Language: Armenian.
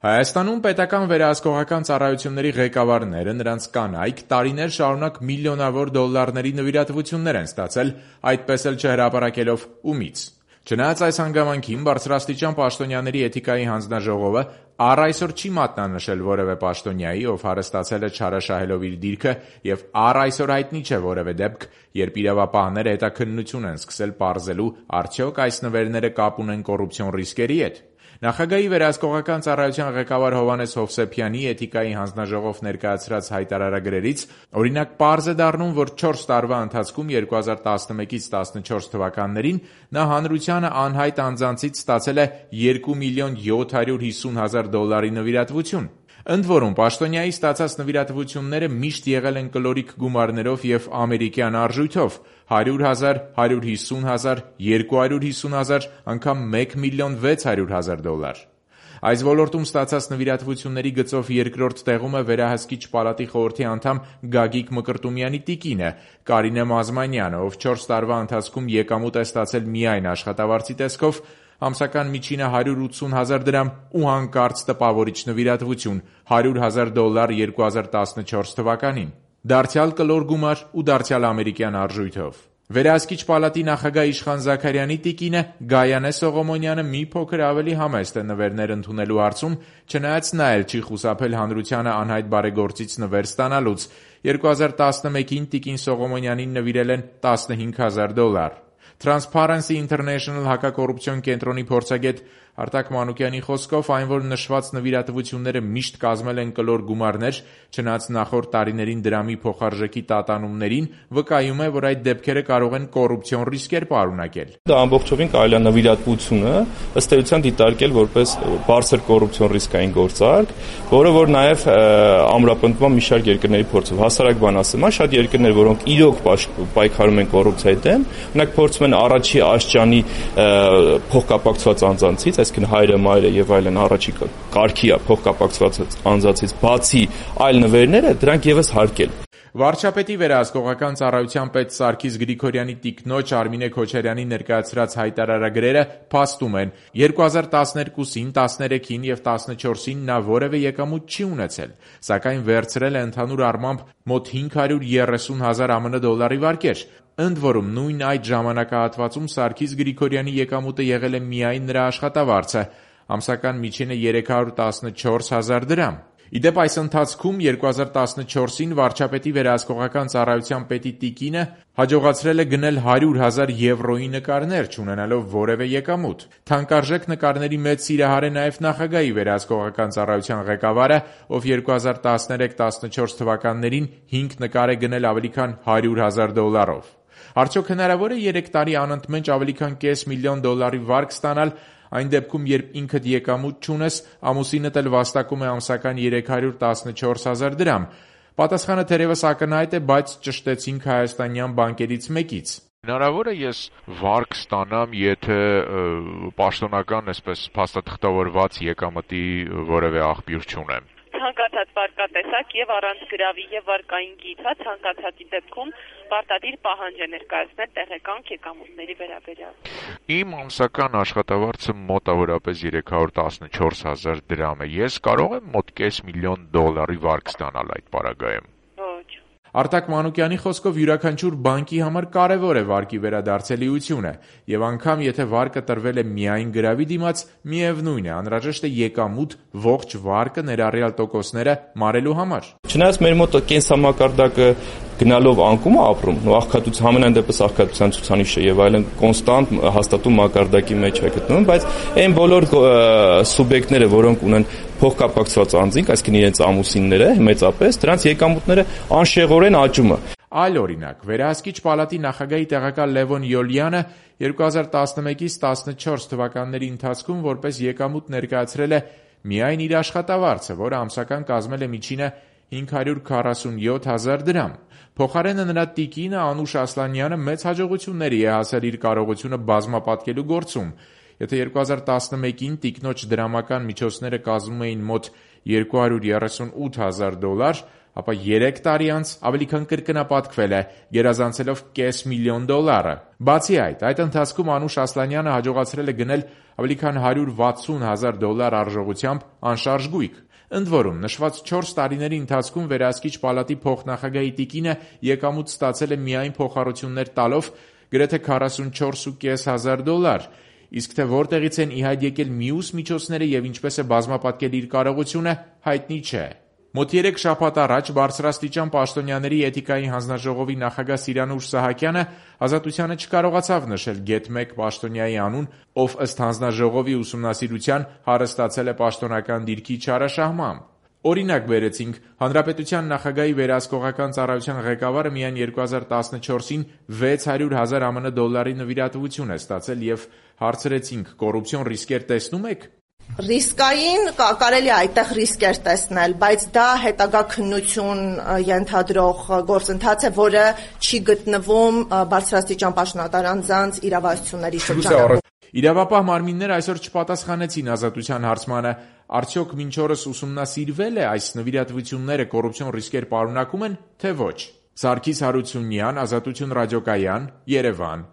Հայաստանում պետական վերահսկողական ծառայությունների ղեկավարները, նրանց կանայք տարիներ շարունակ միլիոնավոր դոլարների նվիրատվություններ են ստացել, այդպես էլ չհրապարակելով ումից։ Չնայած այս հանգամանքին, բարձրաստիճան պաշտոնյաների էթիկայի հանձնաժողովը առ այսօր չի մատնանշել որևէ պաշտոնյայի, ով հարստացել է չարաշահելով իր դիրքը, եւ առ այսօր հայտնի չէ որևէ դեպք, երբ իրավապահները հետաքննություն են սկսել պարզելու, արդյոք այս նվերները կապ ունեն կոռուպցիոն ռիսկերի հետ։ Նախագահի վերահսկողական ծառայության ղեկավար Հովհաննես Հովսեփյանի էթիկայի հանձնաժողով ներկայացրած հայտարարագրերից օրինակ պարզ է դառնում, որ 4 տարվա ընթացքում 2011-ից 14 թվականներին նա հանրությանը անհայտ անձանցից ստացել է 2.750.000 նվիրատվություն։ Ընդ որում, պաշտոնյայի ստացած նվիրատվությունները միշտ եղել են կլորիկ գումարներով և ամերիկյան արժույթով՝ 100.000, 150.000, 250.000, անգամ $1.600.000։ Այս ոլորտում ստացած նվիրատվությունների գծով երկրորդ տեղում է վերահսկիչ պալատի խորհրդի անդամ Գագիկ Մկրտումյանի տիկինը՝ Կարինե Մազմանյանը, ով 4 տարվա ընթացքում եկամուտ է ստացել միայն աշխատավարձի տեսքով, ամսական միջինը $180,000 ու հանկարծ տպավորիչ նվիրատվություն $100,000 2014 թվականին։ Դարձյալ կլոր գումար ու դարձյալ ամերիկյան արժույթով։ Վերահսկիչ պալատի նախագահ Իշխան Զաքարյանի տիկինը Գայանե Սողոմոնյանը մի փոքր ավելի համեստ է նվերներ ընդունելու հարցում, չնայած նա էլ չի խուսափել հանրությանը անհայտ բարեգործից նվեր ստանալուց։ 2011-ին տիկին Սողոմոնյանին նվիրել են $15,000։ Transparency International հակակոռուպցիոն կենտրոնի փորձագետ Արտակ Մանուկյանի խոսքով, այն որ նշված նվիրատվությունները միշտ կազմել են կլոր գումարներ, չնայած նախորդ տարիներին դրամի փոխարժեքի տատանումներին, վկայում է, որ այդ դեպքերը կարող են կոռուպցիոն ռիսկեր պարունակել։ Դա ամբողջովին կարելի է նվիրատվությունը ըստ էության դիտարկել որպես բարձր կոռուպցիոն ռիսկային գործարք, որը որ նաև ամրապնդվում մի շարք երկրների փորձով։ Հասարակ բան ասեմ, շատ երկրներ, որոնք իրոք պայքարում են կոռուպցիայի դեմ, օրինակ փորձում են առաջի աշճանի փոխկապակցված անձանցից, այսինքն հայրը, մայրը եւ այլն առաջի կարգի փոխկապակցված անձանցից բացի այլ նվերները դրանք եւս հարկել։ Վարչապետի վերահսկողական ծառայության պետ Սարգիս Գրիգորյանի տիկնոջ Արմինե Քոչարյանի ներկայացրած հայտարարագրերը փաստում են 2012-ին, 13-ին եւ 14-ին նա որևէ եկամուտ չի ունեցել, սակայն վերցրել է ընդհանուր առմամբ մոտ 530,000 ԱՄՆ դոլարի վարկեր։ Ընդ որում, նույն այդ ժամանակահատվածում Սարգիս Գրիգորյանի եկամուտը եղել է միայն նրա աշխատավարձը, ամսական միջինը $314,000։ Իդեպ այս ընթացքում 2014-ին վարչապետի վերահսկողական ծառայության պետի տիկինը հաջողացրել է գնել 100,000 եվրոյի նկարներ, չունենալով որևէ եկամուտ։ Թանկարժեք նկարների մեծ սիրահար է նաև նախագահի վերահսկողական ծառայության ղեկավարը, ով 2013-14 թվականներին 5 նկար է գնել ավելի քան $100,000։ Արդյոք հնարավոր է 3 տարի անընդմեջ ավելի քան $500,000 վարկ ստանալ, այն դեպքում, երբ ինքդ եկամուտ չունես, ամուսինդ էլ վաստակում է ամսական $314,000։ Պատասխանը թերևս ակնհայտ է, բայց ճշտեցինք հայաստանյան բանկերից մեկից։ Հնարավոր է ես վարկ ստանամ, եթե պաշտոնական, այսպես փաստաթղթավորված եկամտի որևէ աղբյուր չունեմ։ Ցանկացած վարկատեսակ եւ առանց գրավի եւ վարկային գիթա ցանկացածի դեպքում պարտադիր պահանջ է ներկայացնել տեղեկանք եկամուտների վերաբերյալ։ Իմ ամսական աշխատավարձը մոտավորապես $314,000 է։ Ես կարող եմ մոտ $500,000 վարկ ստանալ այդ պարագայում։ Արտակ Մանուկյանի խոսքով յուրաքանչյուր բանկի համար կարևոր է վարկի վերադարձելիությունը, եւ անգամ եթե վարկը տրվել է միայն գրավի դիմաց, միևնույն է, անհրաժեշտ է եկամուտ ողջ վարկը ներառյալ տոկոսները մարելու համար։ Չնայած մեր մոտ կենսամակարդակը գնալով անկում է ապրում, ու աղքատության համենայն դեպս աղքատության ցուցանիշը եւ այլն կոնստանտ հաստատում մակարդակի մեջ է գտնվում, բայց այն բոլոր սուբյեկտները, որոնք ունեն փոխկապակցված անձինք, այսինքն իրենց ամուսինները մեծապես, դրանց եկամուտները անշեղորեն աճում է։ Այլ օրինակ, վերահսկիչ պալատի նախագահի տեղակալ Լևոն Յոլյանը 2011-ից 14 թվականների ընթացքում որպես եկամուտ ներկայացրել է միայն իր աշխատավարձը, որը ամսական կազմել է միջինը $547,000։ Փոխարենը նրա տիկինը Անուշ Ասլանյանը մեծ հաջողությունների է հասել իր կարողությունը բազմապատկելու գործում։ Եթե 2011-ին տիկնոջ դրամական միջոցները կազմում էին մոտ $238,000, ապա 3 տարի անց ավելի քան կրկնապատկվել է, գերազանցելով $500,000։ Բացի այդ ընթացքում Անուշ Ասլանյանը հաջողացրել է գնել ավելի քան $160,000 արժողությամբ անշարժ գույք։ Ընդ որում, նշված 4 տարիների ընթացքում վերահսկիչ պալատի փոխնախագահի տիկինը եկամուտ ստացել է միայն փոխառություններ տալով գրեթե $44,500, իսկ թե որտեղից են ի հայտ եկել մյուս միջոցները եւ ինչպես է բազմապատկել իր կարողությունը, հայտնի չէ։ Մոտ 3 շաբաթ առաջ բարձրաստիճան պաշտոնյաների էթիկայի հանձնաժողովի նախագահ Սիրանուշ Սահակյանը Ազատությանը չկարողացավ նշել Get1 պաշտոնյայի անուն, ով ըստ հանձնաժողովի ուսումնասիրության հարստացել է պաշտոնական դիրքի չարաշահմամբ։ Օրինակ բերեցինք, Հանրապետության նախագահի վերահսկողական ծառայության ղեկավարը միայն 2014-ին $600,000 ԱՄՆ նվիրատվություն է ստացել եւ հարցրեցինք, կոռուպցիոն ռիսկեր տեսնում եք։ Ռիսկային կարելի է այդտեղ ռիսկեր տեսնել, բայց դա հետագա քննություն ենթադրող գործընթաց է, որը չի գտնվում բարձրաստիճան պաշտոնատար անձանց իրավասությունների շրջանում։ Իրավապահ մարմինները այսօր չպատասխանեցին Ազատության հարցմանը, արդյոք մինչ օրս ուսումնասիրվել է այս նվիրատվությունները կոռուպցիոն ռիսկեր պարունակում են, թե ոչ։ Սարգիս Հարությունյան, Ազատություն ռադիոկայան, Երևան։